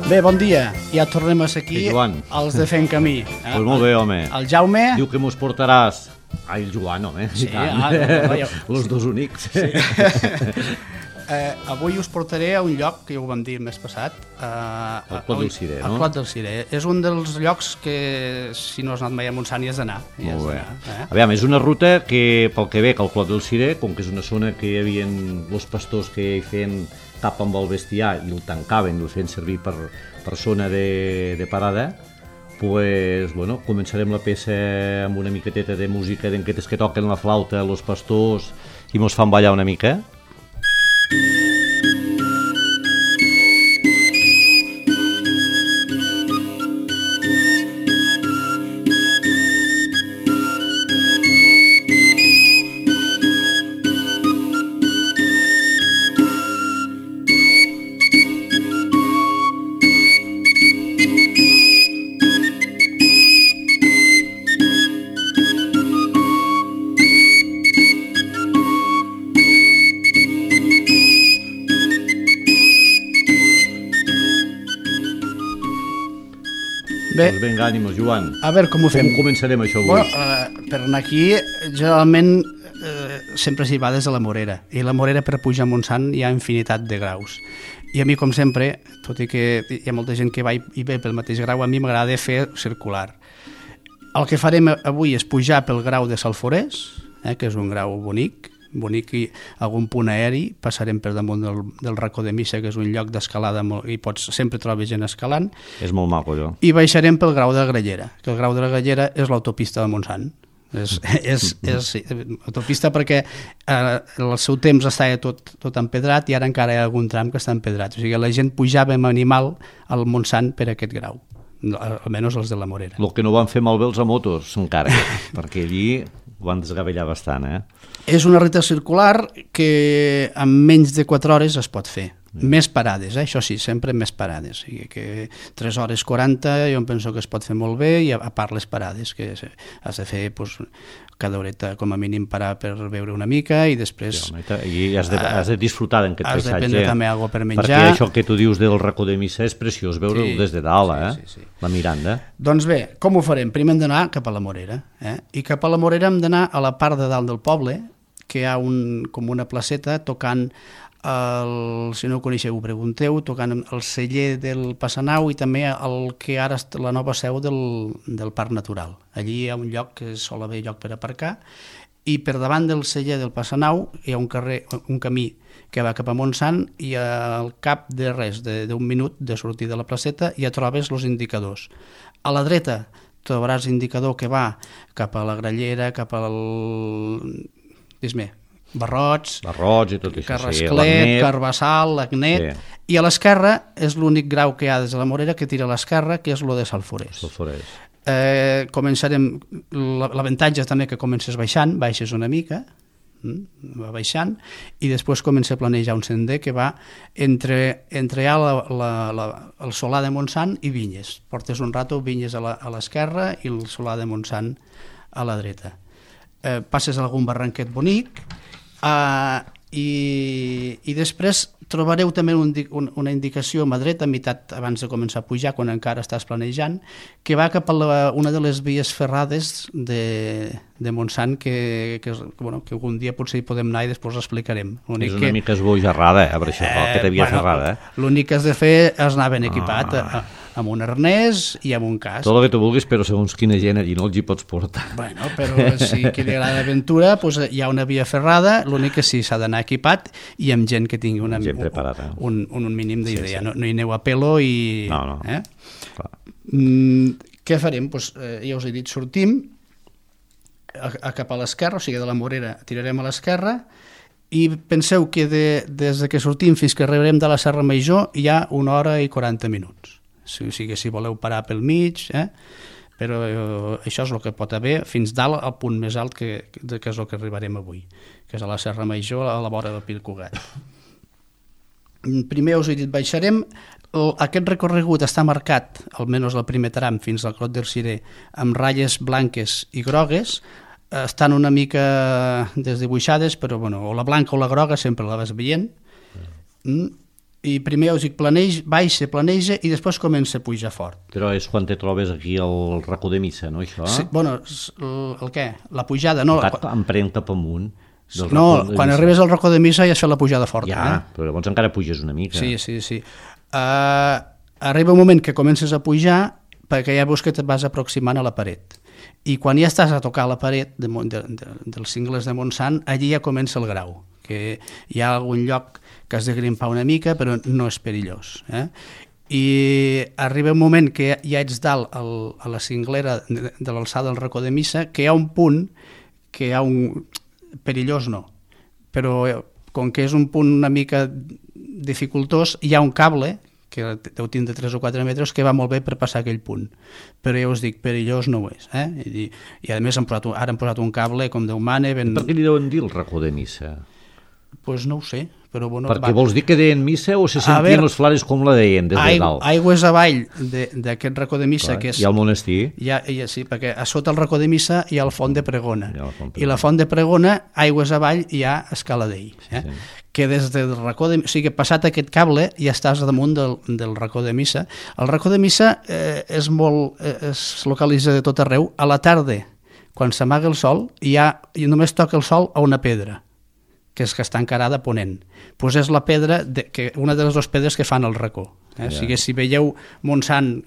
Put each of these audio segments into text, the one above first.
Bé, bon dia. Ja tornem a ser aquí, els de Fent Camí. Pues molt bé, home. El Jaume... Diu que mos portaràs... Ai, el Joan, home. Sí, Los dos únics. Sí. Avui us portaré a un lloc que ja ho vam dir el mes passat. El Clot del Cirer, no? El Clot del Cirer. És un dels llocs que, si no has anat mai a Montsant, hi has d'anar. Molt bé. Aviam, és una ruta que, pel que ve, que el Clot del Cirer, com que és una zona que hi havia els pastors que hi feien tap amb el bestiar i el tancaven, el feien servir per zona de parada, pues, bueno, començarem la peça amb una miqueteta de música d'enquetes que toquen la flauta, els pastors, i mos fan ballar una mica. Bé, doncs vinga, ànimos, Joan. A veure com ho fem. Com començarem això avui? Bueno, per anar aquí, generalment sempre s'hi va des de la Morera. I la Morera, per pujar a Montsant, hi ha infinitat de graus. I a mi, com sempre, tot i que hi ha molta gent que va i ve pel mateix grau, a mi m'agrada fer circular. El que farem avui és pujar pel grau de Salforès, que és un grau bonic i algun punt aeri, passarem per damunt del racó de Missa, que és un lloc d'escalada i sempre trobes gent escalant. És molt maco, allò. I baixarem pel grau de la Grallera, que el grau de la Grallera és l'autopista de Montsant. És autopista perquè al seu temps estava tot empedrat i ara encara hi ha algun tram que està empedrat. O sigui, la gent pujava amb animal al Montsant per aquest grau, almenys els de la Morera. El que no van fer malbé els a motos, encara, perquè allí ho van desgavellar bastant, És una ruta circular que en menys de 4 hores es pot fer. Més parades, això sí, sempre més parades. O sigui que 3 hores 40 jo em penso que es pot fer molt bé, i a part les parades, que has de fer cada horeta com a mínim parar per beure una mica i després... I has de disfrutar d'aquest paisatge. Has de prendre també alguna cosa per menjar. Perquè això que tu dius del racó de Missa és preciós veure-ho des de dalt, la Miranda. Doncs bé, com ho farem? Primer hem d'anar cap a la Morera. I cap a la Morera hem d'anar a la part de dalt del poble, que hi ha com una placeta tocant, si no ho coneixeu ho pregunteu, tocant el celler del Passanau i també el que ara és la nova seu del Parc Natural. Allí hi ha un lloc que sol haver lloc per aparcar, i per davant del celler del Passanau hi ha un camí que va cap a Montsant, i al cap de res, d'un minut de sortir de la placeta, ja trobes els indicadors. A la dreta trobaràs l'indicador que va cap a la Grallera, cap al... Dis-me, Barrots i tot això, Carrasclet, Carbassal, l'Agnet, i a l'esquerra és l'únic grau que hi ha des de la Morera que tira a l'esquerra, que és lo de Salforès. Començarem, l'avantatge també que comences baixes una mica, va baixant, i després comença a planejar un sender que va entre el Solà de Montsant i Vinyes. Portes un rato Vinyes a l'esquerra i el Solà de Montsant a la dreta. Passes algun barranquet bonic, i després trobareu també una indicació a mà dreta, a meitat abans de començar a pujar, quan encara estàs planejant, que va cap a una de les vies ferrades de Montsant, que algun dia potser hi podem anar i després l'explicarem. És una mica esbojarrada, per això, aquesta via ferrada. L'únic que has de fer és anar ben equipat, amb un arnès i amb un casc. Tot el que tu vulguis, però segons quina gent allí no els hi pots portar. Bueno, però si qui li agrada l'aventura, hi ha una via ferrada, l'únic que sí s'ha d'anar equipat i amb gent que tingui un mínim d'idea. No hi aneu a pelo i... No. Què farem? Ja us he dit, sortim cap a l'esquerra, o sigui, de la Morera tirarem a l'esquerra, i penseu que des que sortim fins que arribarem de la Serra Major hi ha 1 hora i 40 minuts. O sigui, si voleu parar pel mig, però això és el que pot haver fins dalt, al punt més alt que és el que arribarem avui, que és a la Serra Major, a la vora del Pi Cugat. Primer us he dit, baixarem, aquest recorregut està marcat, almenys el primer tram fins al Clot del Cirer, amb ratlles blanques i grogues, estan una mica desdibuixades, però bueno, o la blanca o la groga sempre la vas veient. I primer us dic planeja i després comença a pujar fort. Però és quan te trobes aquí al racó de missa, no, això? Sí, bueno, el què? La pujada, no? Em cap amunt. No, quan arribes al racó de missa ja has fet la pujada forta. Ja, però llavors encara puges una mica. Sí. Arriba un moment que comences a pujar perquè ja veus que et vas aproximant a la paret. I quan ja estàs a tocar la paret dels cingles de Montsant, allí ja comença el grau, que hi ha algun lloc que has de grimpar una mica, però no és perillós. I arriba un moment que ja ets dalt a la cinglera de l'alçada del racó de missa, que hi ha un punt que hi ha un... perillós no, però com que és un punt una mica dificultós, hi ha un cable que deu tindre 3 o 4 metres, que va molt bé per passar aquell punt. Però ja us dic, perillós no ho és. I a més ara han posat un cable com Déu mana. Per què li deuen dir el racó de missa? Doncs no ho sé. Però bueno, perquè vols dir que deien missa o se sentien els flares com la deien des de dalt? Aigües avall d'aquest racó de missa, que és... Hi ha el monestir. Sí, perquè a sota el racó de missa hi ha el font de Pregona. I la font de Pregona, aigües avall, hi ha Escaladell. Que des del racó de... O sigui, passat aquest cable ja estàs damunt del racó de missa. El racó de missa es localitza de tot arreu. A la tarda, quan s'amaga el sol, i només toca el sol a una pedra, que està encarada a ponent. Doncs és la pedra, una de les dues pedres que fan el racó. O sigui, si veieu Montsant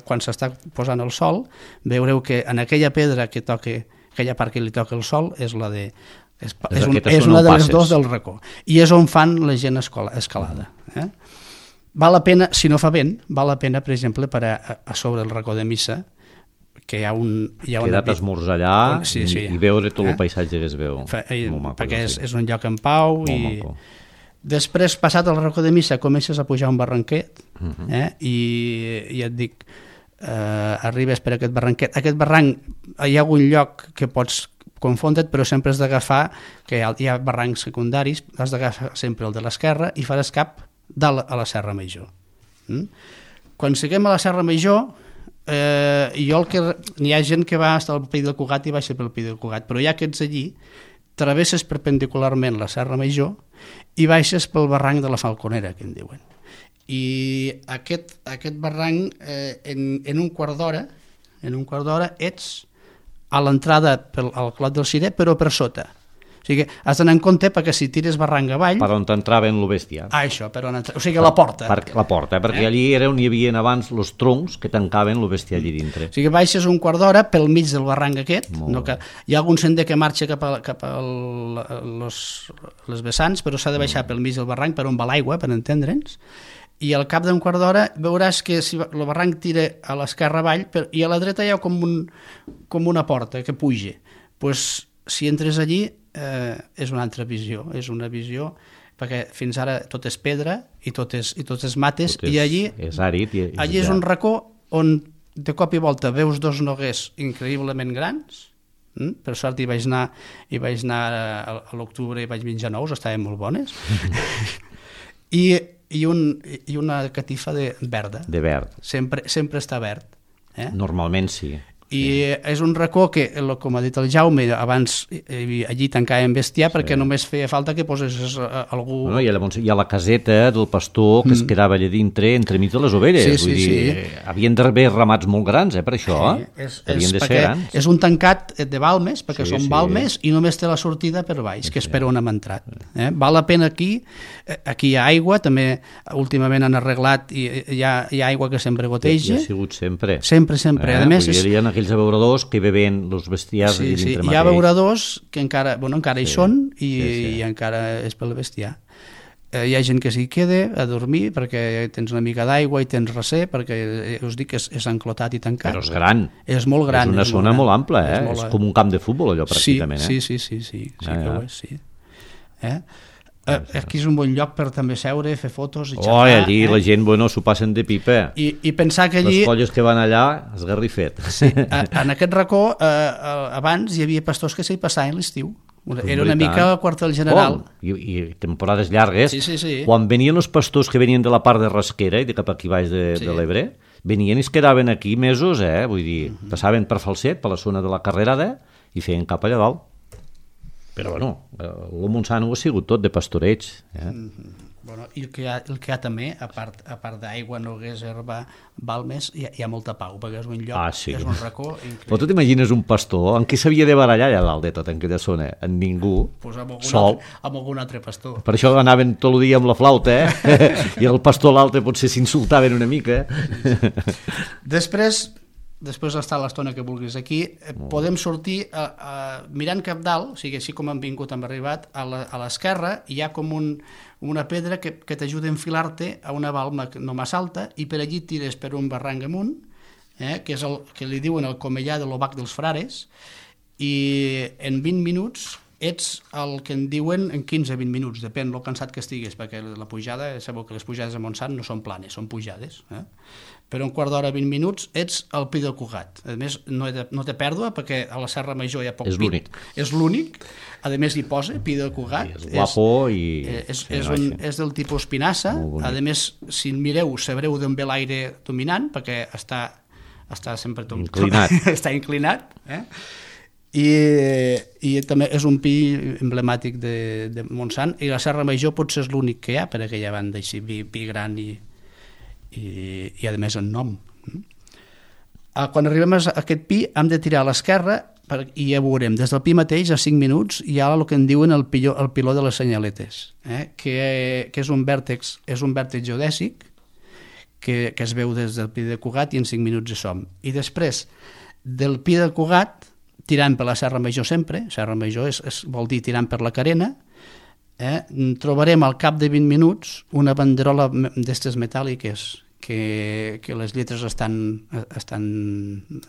quan s'està posant el sol, veureu que en aquella pedra que toca, aquella part que li toca el sol, és la de... És una de les dues del racó. I és on fan la gent escalada. Val la pena, si no fa vent, val la pena, per exemple, per a sobre el racó de missa, que hi ha quedat esmorzar allà i veure tot el paisatge que es veu. Perquè és un lloc en pau. I després, passat el racó de missa, comences a pujar un barranquet i et dic, arribes per aquest barranquet. Aquest barranc, hi ha algun lloc que pots confondre't, però sempre has d'agafar, que hi ha barrancs secundaris, has d'agafar sempre el de l'esquerra i faràs cap dalt a la Serra Major. Quan siguem a la Serra Major, n'hi ha gent que va estar al Pi del Cugat i baixa pel Pi del Cugat, però ja que ets allí, travesses perpendicularment la Serra Major i baixes pel barranc de la Falconera, que en diuen. I aquest barranc, en un quart d'hora ets a l'entrada al Clot del Cirer, però per sota. O sigui, has d'anar en compte perquè si tires barranc avall... Per on t'entraven el bestiar. Això, per on entraven. O sigui, la porta. La porta, perquè allí era on hi havia abans els troncs que tancaven el bestiar allí dintre. O sigui, baixes un quart d'hora pel mig del barranc aquest. Hi ha algun sender que marxa cap a les vessants, però s'ha de baixar pel mig del barranc per on va l'aigua, per entendre'ns. I al cap d'un quart d'hora veuràs que el barranc tira a l'esquerra avall i a la dreta hi ha com una porta que puja. Doncs si entres allí és una altra visió, perquè fins ara tot és pedra i tot és mates, i allí és àrid. Allí és un racó on de cop i volta veus dos noguers increïblement grans. Per sort hi vaig anar a l'octubre i vaig menjar nous, estaven molt bones. I una catifa verda. De verd. Sempre està verd. Normalment sí. I és un racó que, com ha dit el Jaume, abans allí tancàvem bestiar perquè només feia falta que posés algú... Hi ha la caseta del pastor que es quedava allà dintre, entremig de les ovelles. Vull dir, havien d'haver ramats molt grans, per això. Havien de ser grans. És un tancat de balmes, perquè són balmes, i només té la sortida per baix, que és per on hem entrat. Val la pena aquí hi ha aigua, també últimament han arreglat i hi ha aigua que sempre goteja. Ha sigut sempre. Sempre. A més, aquells abeuradors que beben els bestiars dintre mateix. Hi ha abeuradors que encara hi són i encara és pel bestiar. Hi ha gent que s'hi queda a dormir perquè tens una mica d'aigua i tens recer, perquè us dic que és enclotat i tancat. Però és gran. És molt gran. És una zona molt ampla, és com un camp de futbol allò pràcticament. Sí que ho és, sí. Aquí és un bon lloc per també seure, fer fotos i xerrar. Allí la gent, s'ho passen de pipa. I pensar que allí... Les colles que van allà, esgarrifet. Sí, en aquest racó, abans hi havia pastors que s'hi passaven l'estiu. Era una mica el quartel general. I temporades llargues. Sí. Quan venien els pastors que venien de la part de Rasquera i de cap aquí baix de l'Ebre, venien i es quedaven aquí mesos, vull dir, passaven per Falset, per la zona de la Carrerada, i feien cap allà dalt. Però, bueno, el Montsant ho ha sigut tot de pastoreig. Bueno, i el que hi ha també, a part d'aigua, noguers, herba, balmes, hi ha molta pau, perquè és un lloc, és un racó increïble. Però tu t'imagines un pastor en qui s'havia de barallar allà dalt de tot en aquella zona? En ningú, sol. Amb algun altre pastor. Per això anaven tot el dia amb la flauta, i el pastor l'altre potser s'insultaven una mica. Després d'estar l'estona que vulguis aquí, podem sortir mirant cap dalt, o sigui, així com hem arribat, a l'esquerra hi ha com una pedra que t'ajuda a enfilar-te a una balma no massa alta, i per allí tires per un barranc amunt, que és el que li diuen el Comellà de l'Obac dels Frares, i en 20 minuts ets el que en diuen en 15-20 minuts, depèn lo cansat que estiguis, perquè la pujada, sabeu que les pujades a Montsant no són planes, són pujades, però un quart d'hora, 20 minuts, ets al Pi del Cugat. A més, no té pèrdua, perquè a la Serra Major hi ha poc pi. És l'únic. A més, hi posa Pi del Cugat. És guapo i... És del tipus pinassa. A més, si mireu, sabreu d'on ve l'aire dominant, perquè està sempre inclinat. Està inclinat. I també és un pi emblemàtic de Montsant, i la Serra Major potser és l'únic que hi ha per aquella banda, així, pi gran i a més en nom. Quan arribem a aquest pi hem de tirar a l'esquerra i ja veurem, des del pi mateix a 5 minuts hi ha el que en diuen el piló de les senyaletes, que és un vèrtex geodèsic que es veu des del Pi de Cugat, i en 5 minuts hi som. I després del Pi de Cugat, tirant per la Serra Major sempre, Serra Major vol dir tirant per la Carena, trobarem al cap de 20 minuts una banderola d'estes metàl·liques que les lletres estan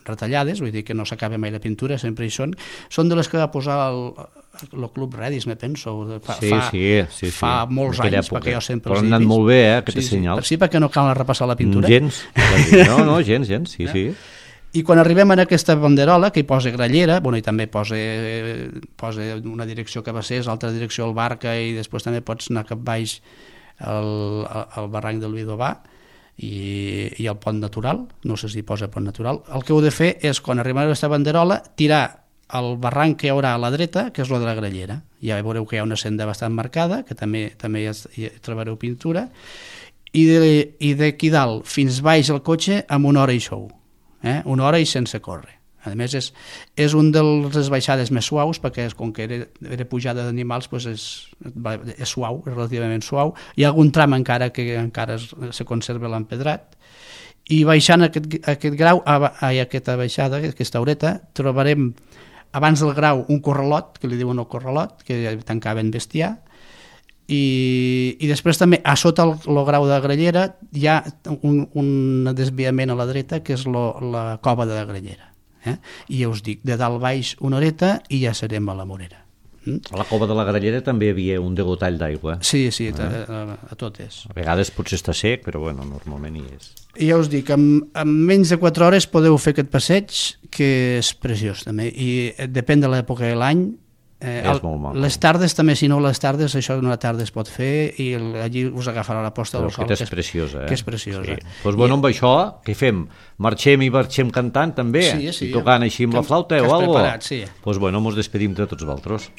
retallades, vull dir que no s'acaba mai la pintura, sempre hi són de les que va posar el Club Redis, me penso, fa molts anys, perquè jo sempre els he vist. Però han anat molt bé, aquests senyals. Sí, perquè no cal repassar la pintura. Gens, no, gens, sí. I quan arribem a aquesta banderola, que hi posa Grallera, i també posa una direcció que va ser, l'altra direcció al Barca, i després també pots anar cap baix al barranc del Vidovà i al pont natural, no sé si posa pont natural. El que heu de fer és, quan arribem a aquesta banderola, tirar el barranc que hi haurà a la dreta, que és el de la Grallera. Ja veureu que hi ha una senda bastant marcada, que també hi trobareu pintura, i d'aquí dalt fins baix el cotxe amb 1 hora i xou. Una hora i sense córrer. A més, és un de les baixades més suaus, perquè com que era pujada d'animals, és suau, és relativament suau. Hi ha algun tram encara que encara se conserva l'empedrat, i baixant aquest grau, aquesta baixada, aquesta horeta, trobarem abans del grau un corralot, que li diuen el corralot, que tancaven bestiar, i després també a sota el grau de la Grallera hi ha un desviament a la dreta, que és la cova de la Grallera, i ja us dic, de dalt baix una horeta i ja serem a la Morera. A la cova de la Grallera també hi havia un degotall d'aigua. Sí, a totes. A vegades potser està sec, però normalment hi és. I ja us dic, en menys de 4 hores podeu fer aquest passeig, que és preciós també, i depèn de l'època de l'any. És molt maco. Les tardes també, si no les tardes, això d'una tarda es pot fer, i allí us agafarà la posta del sol, que és preciosa. Que és preciosa. Doncs amb això, què fem? Marxem cantant també? Sí. I tocant així amb la flauta o alguna cosa? Sí. Doncs mos despedim de tots vosaltres.